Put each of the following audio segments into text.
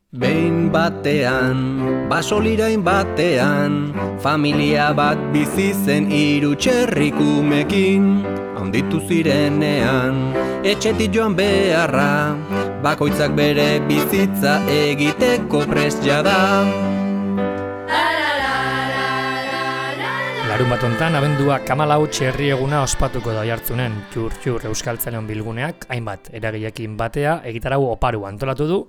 Behin batean, basolirain batean, familia bat bizi zen hiru txerrikumekin. Handitu zirenean, etxetik joan beharra, bakoitzak bere bizitza egiteko prest jada. Larun bat hontan, abendua 14 txerri eguna ospatuko da Oiartzunen. Txur Euskaltzaleon bilguneak, hainbat eragileekin batea, egitarau oparu antolatu du,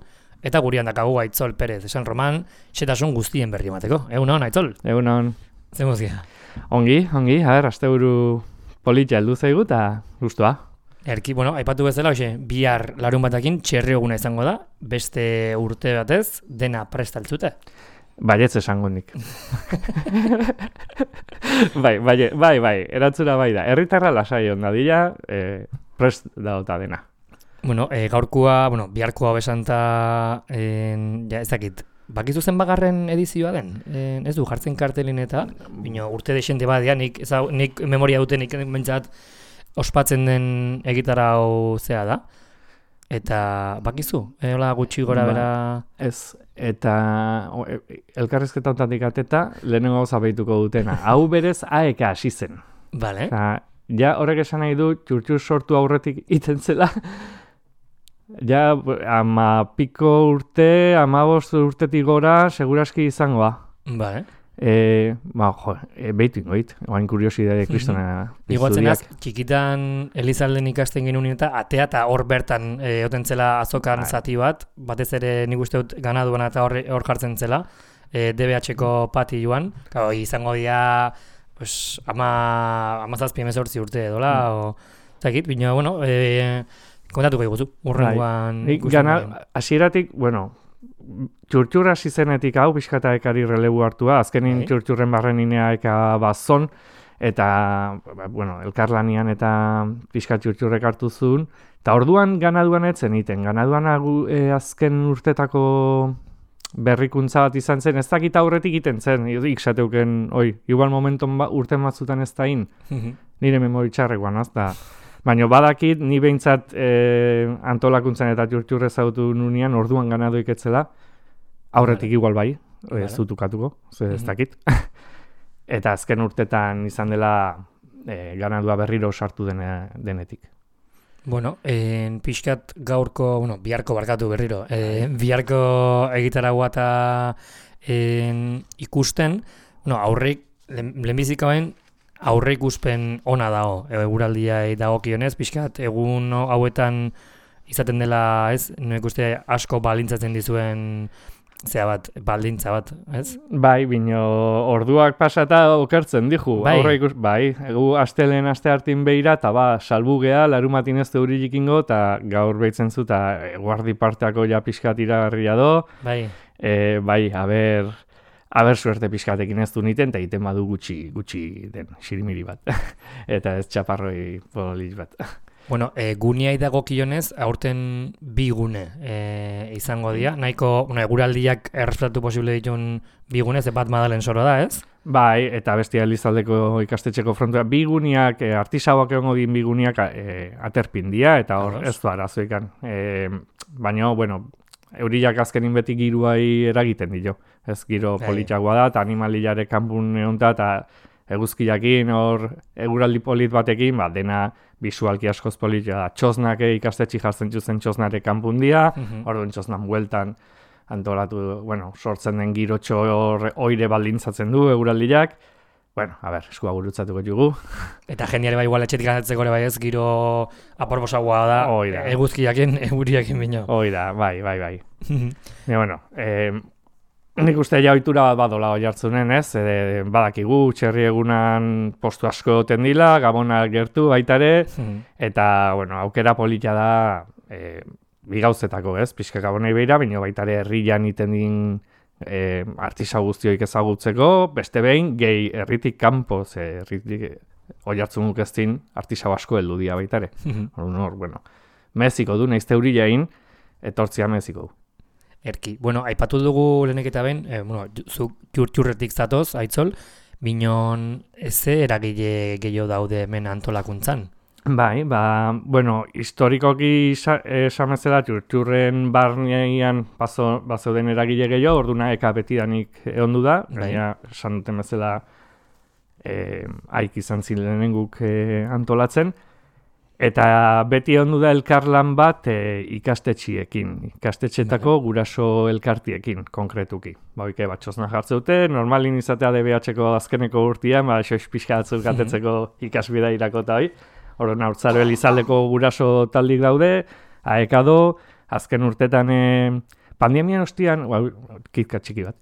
eta gurean dakagu Aitzol Perez San Roman, xetasun guztien berri emateko. Egunon, Aitzol? Egunon. Zer mozia? Ongi, asteburu politia heldu zaigu eta gustua. Erki, aipatu bezala, bihar larun batakin txerri eguna izango da, beste urte batez, dena prestaltzute. Baietz esango nik. bai, erantzuna bai da. Herritarra lasai onda dira, prest dauta dena. Gaurkoa, biharkoa besanta, ez dakit, bakizu zen bagarren edizioa den? Ez du, jartzen kartelin eta, urte desente badia, nik memoria dutenik bentsat ospatzen den egitarau zea da. Eta bakizu, hola gutxi gora bera... Ez, eta elkarrizketa ontatik ateta, lehenengo gauza behituko dutena. Hau berez aeka hasi zen. Vale. Ja horrek esan nahi du, txurtxur sortu aurretik iten zela, ja, 15 urtetik gora, seguraski izangoa. Vale. Behitu ingoit, oain kuriosidade kristona. Iguatzen az, txikitan Elizalden ikasten genuen eta atea eta hor bertan egoten zela azokan zati bat, batez ere nik uste dut ganaduan eta hor jartzen zela, DBH-ko pati joan, izango dira 17-18 urte edola, zakit, bina, kontatuko iguzu, urrengoan... Hasieratik, txurtxur hasi zenetik hau, pixkata ekari relebu hartua, azkenin txurtxurren barreninea eka bazon, eta, elkarlanian eta pixka txurtxurrek hartu zuen, eta orduan ganaduan etzen iten, ganaduan azken urtetako berrikuntza bat izan zen, ez dakit aurretik iten zen, iksateuken, igual momenton urten batzutan ez da nire memoritxarrekoan, azta. Baina badakit, ni behintzat antolakuntzan eta txurtxurre zautu nunean, orduan ganadu iketzela, aurretik igual bai, ez dutukatuko, ez dakit. Eta azken urtetan izan dela ganadua berriro sartu denetik. Pixkat gaurko, biharko barkatu berriro, biharko egitaragua eta ikusten, aurrik, lehenbizikauen, aurre ikuspen ona dago, eguraldiai dagokionez, pixkat, egun hauetan izaten dela, ez? Noek uste asko baldintzatzen dizuen baldintza bat, ez? Bai, bino orduak pasata okertzen dihu. Bai, egu astelen aste hartin behira, eta salbu geha, larumatin ez teuririk ingo, eta gaur behitzen zu, eta guardi parteako ja pixkat iragarria do. Bai. Aber suerte pixkatekin ez du niten, eta egiten badu gutxi den, xirimiri bat. Eta ez txaparroi polis bat. Guneai dagokionez, aurten bi gune izango dira. Nahiko, eguraldiak errespetatu posible ditun bi gune, ze bat Madalen soro da, ez? Bai, eta bestia Elizaldeko ikastetxeko frontua. Bi guneak, artisauak egongo din bi guneak aterpindia, eta hor ez du arazoikan. Baina, euriak azkenin beti giruai eragiten dio. Ez giro politxagoa da, eta animaliare kanpun egonta, eta eguzkiakin hor eguraldi polit batekin, dena bisualki askoz politia da. Txosnak ikastetxi jartzen zuzen txosnare kanpun dia, orduan txosnan bueltan antolatu, sortzen den girotxo oire baldintzatzen du eguraldiak. Eskua gurutzatuko jugu. Eta geniare igual etxetik anzatzeko bai ez, giro aporbosagoa da, eguzkiakin, eguriakin bino. Oida, bai. Nik uste ja ohitura bat badola Oiartzunen, ez? Badakigu, txerri egunan postu asko egoten dila, Gabona gertu baitare, eta, aukera polita da bi gauzetako, ez? Pixka Gabonei behira, baina baitare herrian iten din artisau guztioik ezagutzeko, beste behin, gehi herritik kanpo, ze herritik Oiartzunuk ez din artisau asko heldu dia baitare. Meziko du, nahizte euriain, etortzia meziko du. Erki. Aipatu dugu lehenek eta behin, zuk txurtxurretik zatoz, Aitzol, binon eze eragile gehiago daude hemen antolakuntzan. Bai, bueno, historikoki esan bezala txurtxurren barnean bazeuden eragile gehiago, orduna eka betidanik egondu da, gaina esan duten bezala haik izan ziren guk antolatzen, eta beti egondu da elkarlan bat ikastetxeetako guraso elkartiekin, konkretuki. Oike, txosna jartze dute, normalin izatea DBH-ko azkeneko urtean, xoiz pixka batzuk atetzeko ikasbida irako eta hoi. Horren haurtzaro elizaldeko guraso taldik daude, aekado, azken urtetan pandemian ostian, kitka txiki bat.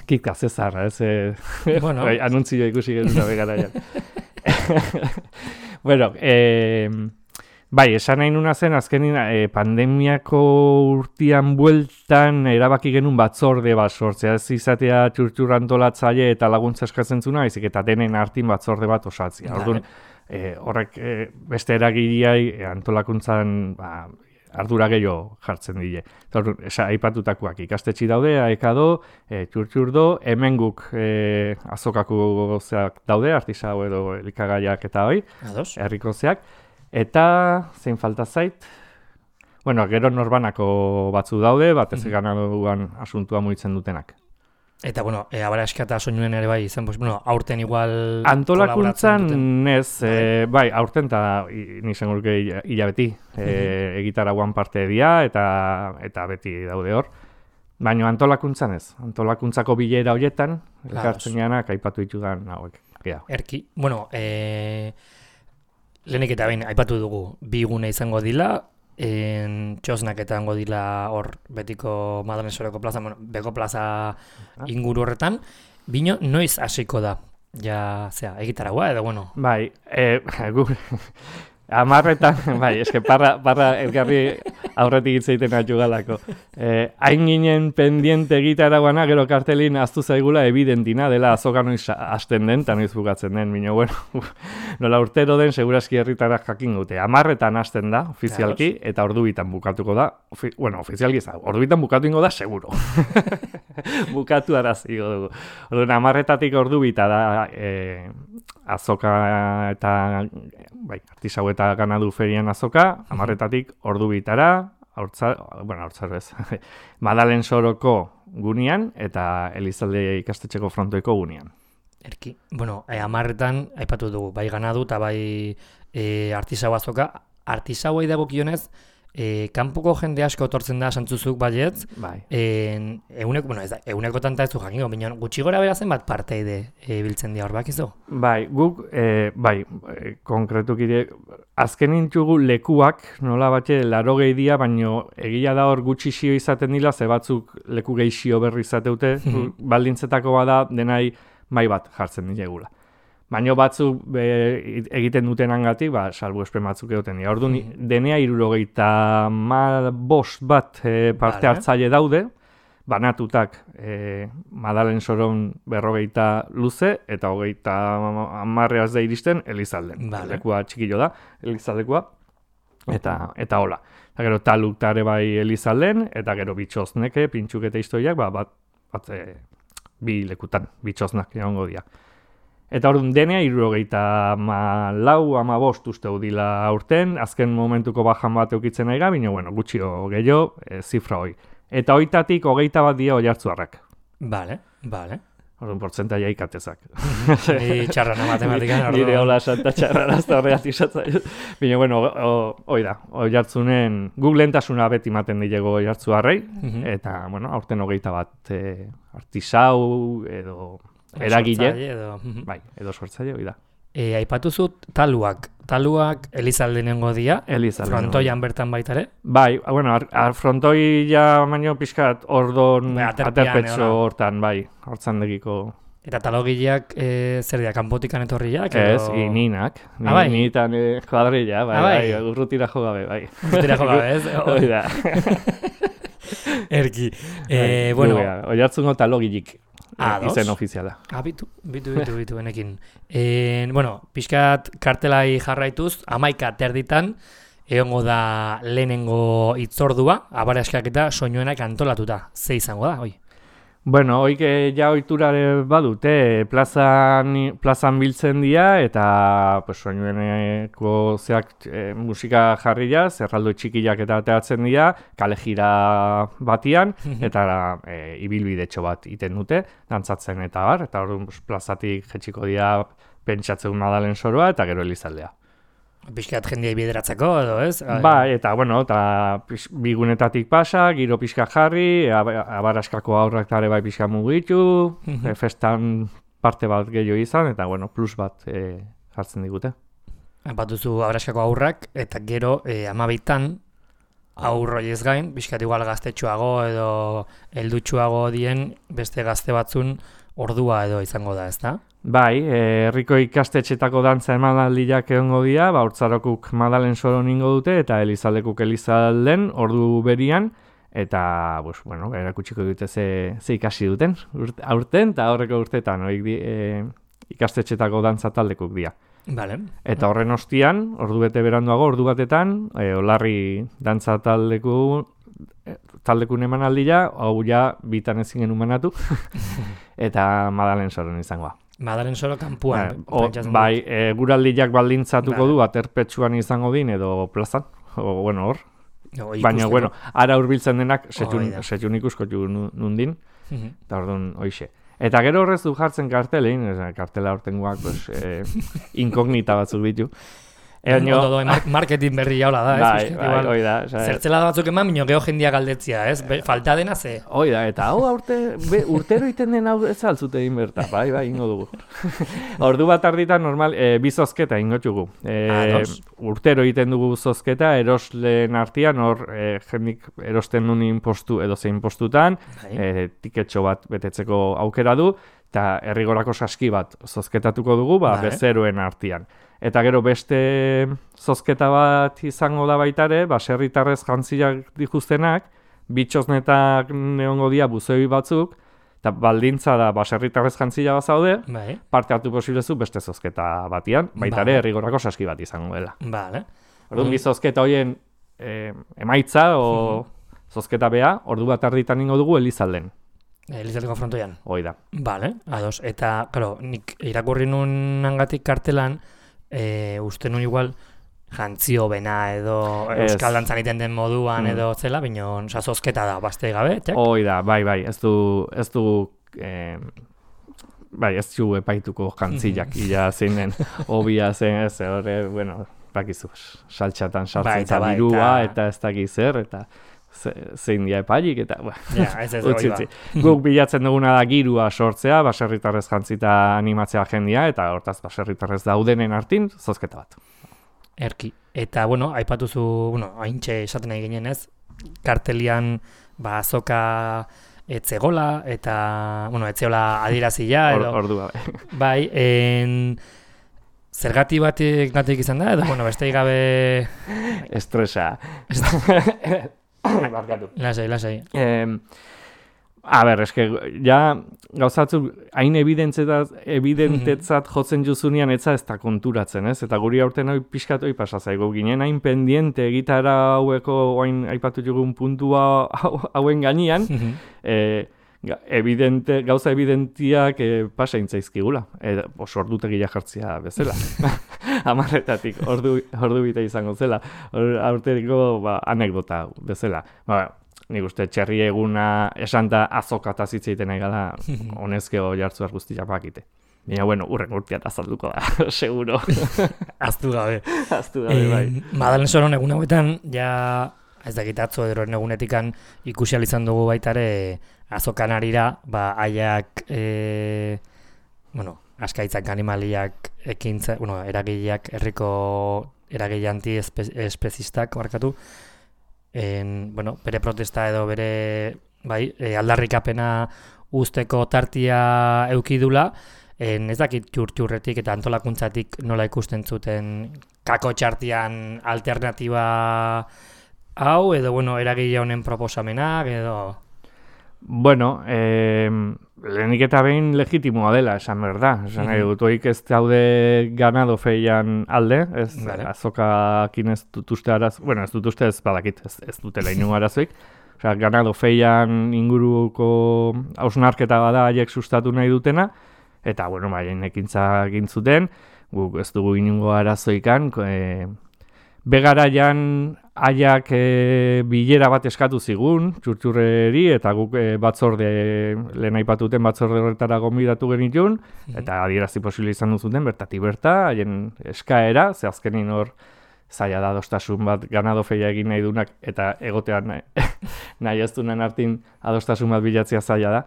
Kitka zezarra, Bueno. Anuntzio ikusi genuen begaraian. Bueno, bai, esan nahi nuna zen, azkenin pandemiako urtean bueltan erabaki genuen batzorde bat sortzea, ez izatea txurtxur antolatzaile eta laguntza eskatzen zuna, baizik eta denen artin batzorde bat osatzea. Orduan, horrek beste eragileai antolakuntzan ardura gehiago jartzen die. Aipatutakoak ikastetxi daude, aekado, txurtxurdo, hemen guk azokako zeak daude, artisau edo elikagaiak eta hoi, herriko zeak. Eta, zein falta zait, bueno, gero norbanako batzu daude, batez ganaduan asuntua mugitzen dutenak. Eta, bueno, abaraska eta soinuen ere bai izan, aurten igual antolakuntzan ez, bai, aurten eta nizan gurke hilabeti, egitaraguan parte dira eta beti daude hor. Baina antolakuntzan ez, antolakuntzako bilera horietan, elkartzen janak, aipatu ditudan hauek. Erki, bueno, lehenik eta behin aipatu dugu, bi gune izango dila, txosnak eta hango dila hor betiko Madalen Soroko plaza, beko plaza inguru horretan, bino noiz hasiko da, egitaragua edo bueno? Bai, amarretan, bai, eske parra elkarri aurretik hitzeiten atxu galako. Hain ginen pendiente egitaraguana, gero kartelin aztu zaigula evidentina dela azoka noiz hasten den, eta noiz bukatzen den, bino, bueno, nola urtero den, seguraski herritarak jakin dute. Amarretan hasten da, ofizialki, eta ordubitan bukatuko da, ofizialki ez da, ordubitan bukatu ingo da, seguro. Bukatu arazigo dugu. Orduan, amarretatik ordubita da, azoka eta artisau eta ganadu ferian azoka, amarretatik ordubitara, haurtzaro ez, Madalen Soroko gunean eta Elizalde ikastetxeko frontoiko gunean. Erki, bueno, amarretan, aipatu dugu, bai ganadu eta bai artisau azoka, artisauei dagokionez, kanpoko jende asko etortzen da santzuzuk baietz, eguneko tanta ez du jakingo, baina gutxi gora bera zenbat parteide biltzen dira hor bakizu? Bai, guk, konkretukire, azken intzugu lekuak, nola batxe, 80 dira, baina egia da hor gutxi xio izaten dila, ze batzuk leku gehixio berri izateute, baldintzetako bada denai mai bat jartzen dilegula. Baina batzuk egiten dutenangatik, salbu espen batzuk egoten dira. Orduan, denea 75 bat parte hartzaile daude, banatutak Madalen Soron 40 luze, eta 30 da iristen Elizalden. Lekua txikilo da, Elizaldekoa, eta hola. Eta gero taluk tare bai Elizalden, eta gero bitxozneke, pintxuk eta historiak, bi lekutan, bitxoznak egongo dira. Eta orduan denea 74-75 uste dila aurten, azken momentuko bajan bat eukitzen nahi gabi, baina gutxio gehiago, zifra hoi. Eta hoitatik 21 dira oiartzuarrak. Bale. Orduan portzentaia ikatezak. Ni txarrana matematikan. Nire hola santa txarrana, ez da horregatik zatzai. Baina, hoi da, oiartzunen, guk lehentasuna beti maten dilego oiartzuarrei, eta, aurten 21 artisau edo eragile, edo sortzaile, hoi da. Aipatu zut taluak Elizaldenengo dia, frontoian bertan baitare? Bai, frontoia baino pixkat ordon aterpetxo hortan, hortzan degiko. Eta talogileak zer dira, kanpotikan etorriak? Ez, ninak, nitan kuadrilla, urrutira jogabe, bai. Urrutira jogabe, ez? Hoi da. Erki, oiartzungo talogilik. Izen ofiziala. Bitu, benekin. Pixkat kartelai jarraituz, 11 terditan, egongo da lehenengo itzordua, abaraskak eta soinuenak antolatuta. Ze izango da, hoi? Bueno, hoik ja ohiturare badute, plazan biltzen dira eta pues soinueneko musika jarria, zerraldo txikiak eta ateratzen dira, kale jira batian eta ibilbidetxo bat iten dute, dantzatzen eta bar, eta orduan plazatik jetxiko dira pentsatzen Madalen Soroa eta gero Elizaldea. Pixkat jendia bideratzeko edo, ez? Bai, eta bueno, eta bigunetatik pasa, giro pixka jarri, abaraskako aurrak tare bai pixka mugitu, festan parte bat gehiago izan, eta bueno, plus bat jartzen digute. Bat duzu abaraskako aurrak, eta gero 12 aurroi ez gain, pixkat igual gaztetxoago edo heldutxoago dien beste gazte batzun ordua edo izango da, ezta? Bai, herriko ikastetxetako dantza emanaldiak egongo dira, Urtzarokuk Madalen Soron ingo dute eta Elizaldekuk Elizalden ordu berian, eta bueno, erakutsiko dute ze ikasi duten aurten eta aurreko urteetan ikastetxetako dantza taldekuk dira. Vale. Eta horren ostian, ordu bete beranduago, ordu batetan, Olarri dantza taldekun emanaldia, hau ja bitan ezin genuen manatu, eta Madalen Soron izangoa. Madalen Soro kanpuan. Bai, guraldiak baldintzatuko du, aterpetsuan izango din edo plazan, hor. Baina, ara hurbiltzen denak setxun ikusko nundin, eta orduan hoixe. Eta gero horrez du jartzen kartelein, kartela hortengoak inkognita batzuk ditu. Marketing berri jaula da, ez? Bai, hoi da. Zertzela batzuk eman, minio geho jendia galdetzia, ez? Falta dena ze? Hoi da, eta hau urtero iten den hau ez altzute egin berta, bai, ingo dugu. Ordu bat arditan normal, bi zozketa ingo txugu. Urtero egiten dugu zozketa, erosleen artean, hor jendik erosten nunin postu edo zein postutan, tiketxo bat betetzeko aukera du, eta herrigorako saski bat zozketatuko dugu, bezeroen artean. Eta gero beste zozketa bat izango da baitare, baserritarrez jantziak dituztenak, bitxoznetak neongo dia buzeoi batzuk, eta baldintza da baserritarrez jantzia bat zaude, parte hartu posilezu beste zozketa batian, baitare herrigorako saski bat izango dela. Orduan, bi zozketa horien emaitza o zozketa bea, ordu bat arditan ingo dugu Elizalden. Elizaldeko frontoian? Hoi da. Bale, ados. Eta, claro, nik irakurri nun hangatik kartelan, uste nun igual jantzio bena edo euskal dantzan iten den moduan edo zela, bino zozketa da, bastei gabe, txak? Hoi da, bai, ez du epaituko jantziak, ila zein den, obia zen, ez, horre, bueno, bakizu, saltxatan sartzen zabirua, eta ez dakiz zer, eta zein dia epailik, eta utzi. Guk bilatzen duguna da girua sortzea, baserritarrez jantzita animatzea jendia, eta hortaz baserritarrez daudenen artin, zozketa bat. Erki. Eta, aipatuzu, haintxe esaten nahi ginen ez, kartelian azoka etzegola, eta, etzeola adirazila, edo... Ordua, bai. Zergati batik izan da, edo, beste gabe... Estresa. Lasai. Eske, ja, gauzatzuk, hain evidentetzat jotzen juzunean etza ez da konturatzen, ez? Eta guri aurten hori pixkat hori pasazaigo ginen, hain pendiente gitara haueko, hain aipatu jugun puntua hauen gainean, gauza evidentiak pasaintzaizkigula, oso ordutegia jartzia bezala. Amarretatik, ordu bita izango zela, aurteriko anekdota bezala. Nik uste txerri eguna esanta azokata zitzeiten egala, honezkeo jartzuar guztiak bakite. Baina, urren urteat azalduko da, seguro. Aztu gabe. Bai. Madalen Soron egun hauetan, ja, ez dakit atzo edoren egunetikan ikusi izan dugu baitare azokan arira, haiak, askaitzak animaliak ekintza, eragileak, herriko eragile anti-espezistak, barkatu, bere protesta edo bere aldarrikapena usteko tartia eukidula, ez dakit txurretik eta antolakuntzatik nola ikusten zuten kako txartian alternatiba hau, edo eragile honen proposamenak, edo... Lehenik eta behin legitimoa dela, esan behar da. Esan nahi dut, oik ez daude ganado feian alde, azokakin ez dut uste ez dut uste ez badakit, ez dutela inungo arazoik. Osea, ganado feian inguruko hausnarketa bada haiek sustatu nahi dutena, eta, bueno, haien ekintza egin zuten, guk ez dugu inungo arazoikan, begaraian haiak bilera bat eskatu zigun, txurtxurreri, eta guk lehen aipatuten batzorde horretara gonbidatu genitun, eta adierazi posible izan duzuten, bertatik berta, haien eskaera, ze azkenin hor zaila da adostasun bat ganado feia egin nahi dunak, eta egotean nahi ez dunen artin adostasun bat bilatzea zaila da.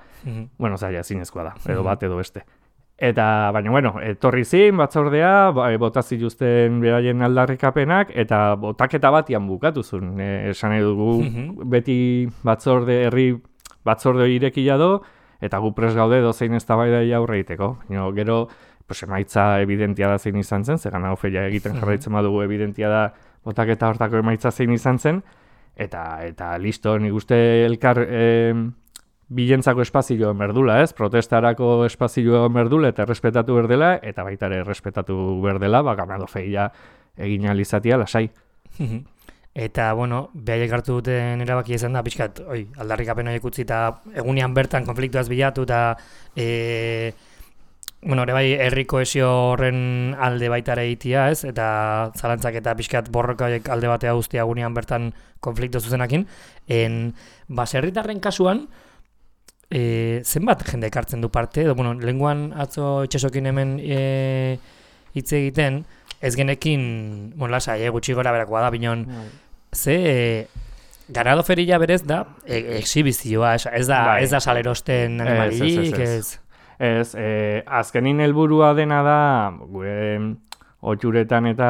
Bueno, zaila ezinezkoa da, edo bat edo beste. Eta, baina, bueno, etorri zin, batzordea, bota zituzten beraien aldarrikapenak, eta botaketa batian bukatu zuen. Esan nahi dugu, beti herri batzorde irekia do, eta gu prest gaude dozein eztabaidai aurre egiteko. Gero, emaitza evidentia da zein izan zen, ze ganado feia egiten jarraitzen badugu evidentia da botaketa hortako emaitza zein izan zen, eta listo, nik uste elkar bilentzako espazioa berdula, ez? Protestarako espazioa berdula eta errespetatu berdela, eta baita ere errespetatu berdela, ganado feia egin alizatia lasai. Eta, bueno, behaiek hartu duten erabakia izan da, pixkat, aldarrikapen horiek utzi eta egunean bertan konfliktuaz bilatu eta ere bai, herri kohesio horren alde baita ere egitea, ez? Eta zalantzak eta pixkat borroka horiek alde batea guztia egunean bertan konfliktu zuzenakin. Baserritarren kasuan, zenbat jende ekartzen du parte, edo, lehenguan atzo itxasokin hemen hitz egiten, ez genekin, lasai, gutxi gora berakoa da, binon, ze ganado feria berez da, exhibizioa, ez da salerosten animalirik, ez? Ez, azkenin helburua dena da, otxuretan eta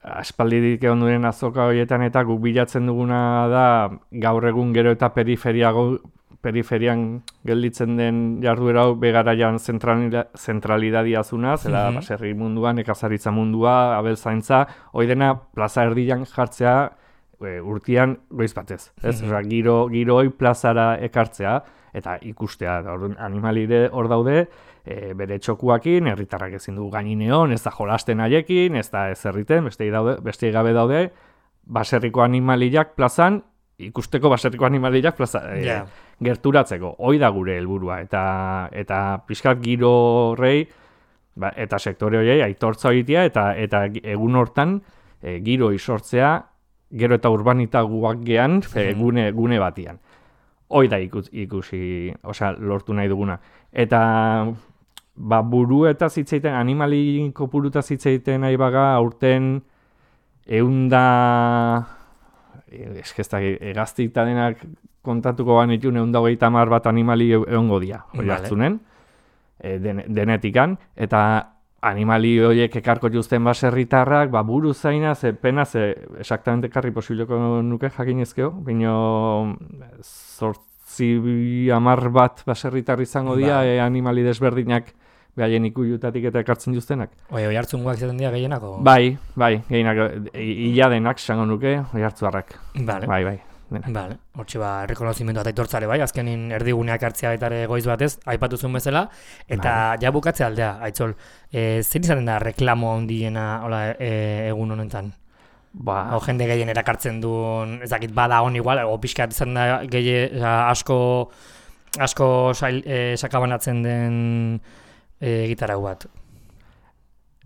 aspaldidik egon duen azoka horietan eta guk bilatzen duguna da gaur egun gero eta periferian gelditzen den jarduera hau begaraian zentralidadia zuna, zela baserri munduan, nekazaritza mundua, abeltzaintza, hori dena plaza erdian jartzea urtean goiz batez. Giro hori plazara ekartzea eta ikustea. Animalire hor daude, bere txokuakin, herritarrak ezin du gainineon, ez da jolasten haiekin, ez da ez herriten, beste gabe daude, baserriko animaliak plazan, ikusteko baserriko animaliak plaza, gerturatzeko. Hoi da gure helburua eta pixkat giro horrei, eta sektore horiei aitortza egitea eta egun hortan giro isortzea, gero eta urbanitaguak gean gune batian. Hoi da ikusi, lortu nahi duguna. Eta buru eta zitzeiten, animali kopuruta zitzeiten nahi baga, aurten eunda, egaztik denak kontatuko banitun, 130 bat animali egongo dia, hori hartzunen, denetikan, eta animali horiek ekarko juzten baserritarrak, buru zaina, penaz, exactamente karri posibleko nuke jakinezkeo, bino 8-10 bat baserritar izango dira, animali desberdinak behaien ikujutatik eta ekartzen juztenak. Oi hartzungoak izaten dira gehienako? Bai, gehienak, ila denak zango nuke, oi hartzuarrak. Bai. Vale, hortxe rekonozimendu eta aitortzare bai, azkenin erdiguneak hartzea eta ere goiz batez, aipatu zuen bezala, eta ja bukatzea aldea, Aitzol, zein izaten da reklamo handiena egun honetan? Jende gehien erakartzen duen, ez dakit bada hon igual, pixkat izan da asko sakabanatzen den gitarra bat.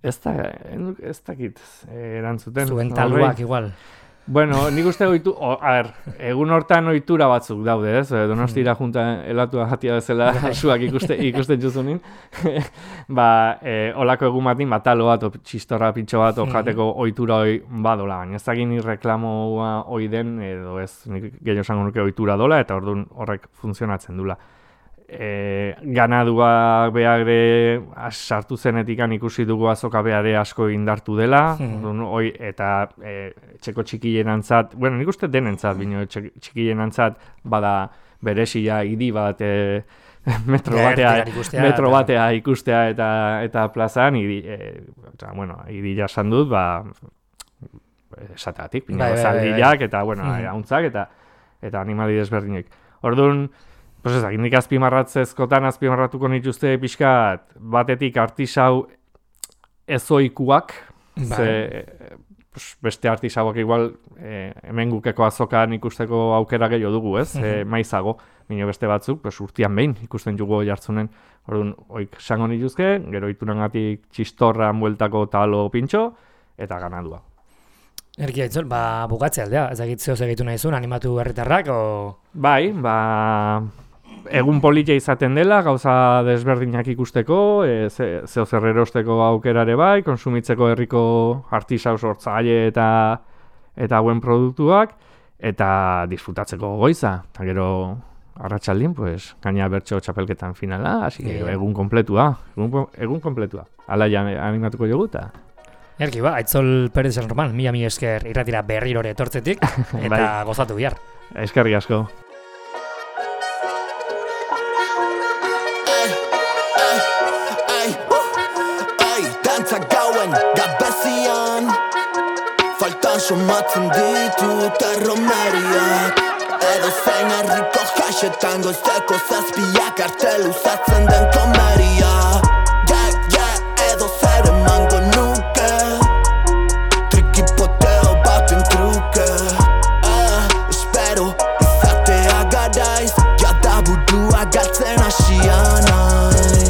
Ez dakit erantzuten. Zuen taluak igual. Bueno, nik uste egun hortan ohitura batzuk daude, ez? Donostira junta elatua jatia bezala suak ikusten juzunin. Olako egun batin, talo bat, txistorra pintxo bat, jateko ohitura hoi badola. Baina ez dakit ni reklamoa hoi den, edo ez, nik gehiago esango nuke ohitura dola, eta orduan horrek funtzionatzen dula. Ganadua behagre sartu zenetikan ikusi dugu azoka behare asko indartu dela, eta txeko txikienantzat, nik uste denentzat, bino txikienantzat bada beresia idi bat metro batea ikustea eta plazan, idi jasan dut, esateatik, zaldiak eta hauntzak eta animali desberdinek. Orduan, nik azpimarratuko nituzte pixkat batetik artisau ezoikuak, beste artisauak igual hemen gukeko azokan ikusteko aukera gehiago dugu, ez? Maizago, baina beste batzuk, urtean behin ikusten jugu jartzunen, orduan, oik sango nituzke, gero itunangatik txistorran bueltako talo pintxo, eta ganadua. Erki Aitzol, bukatzea aldea, ez dakit zehoz egitu nahi zuen, animatu herritarrak, o... Bai, egun politia izaten dela, gauza desberdinak ikusteko, zeo zer erosteko aukerare bai, konsumitzeko herriko artisau sortzaile eta hauen produktuak, eta disfrutatzeko goiza. Eta gero arratsaldien, gaina bertso txapelketan finala, hasi egun kompletua. Hala ja animatuko jogu eta... Erki, Aitzol Perez San Roman, mila esker irratira berrirore etortzetik, eta gozatu bihar. Eskerrik asko. Gabezian faltan somatzen ditut erromeriak edo zein herriko jaxetan goizeko zazpiak arte luzatzen den komeria edo zer emango nuke trikipoteo baten truke espero izatea garaiz jada burua galtzen hasian naiz.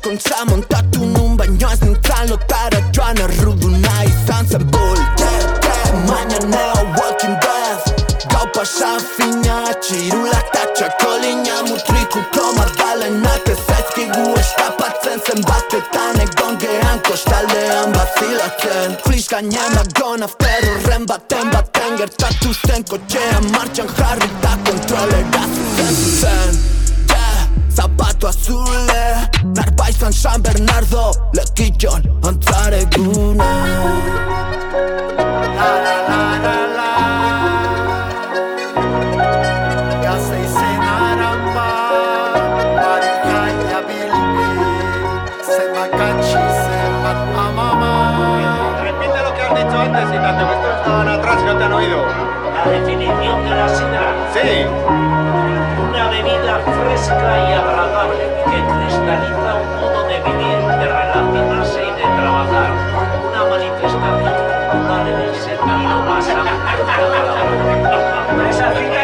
Kontza montatu nun baino ez nintzen lotara joan erruduna izan zen baina neo Walking Dead gau pasa fina txirulak ta txakolina mutrikuko magdalenak ez zaizkigu eskapatzen zenbatetan egon gehan kostaldean bazilatzen Flish gainen agon after horren baten gertatu zen kotxean martxan jarri eta kontrolera zuzen Zapato azule, narbaizan San Bernardo, lekitxon antzaregune. Gazteizen aramba, Marijaia bilbi, zenbat katxi, zenbat amama. Repite lo que has dicho antes y tanto que estos estaban atrás y no te han oído. La definición de la sidra. Sí. Una bebida fresca y agradable que cristaliza un modo de vivir, de relacionarse y de trabajar. Una manifestación cultural en el sentido más amplio de la palabra. Esa cita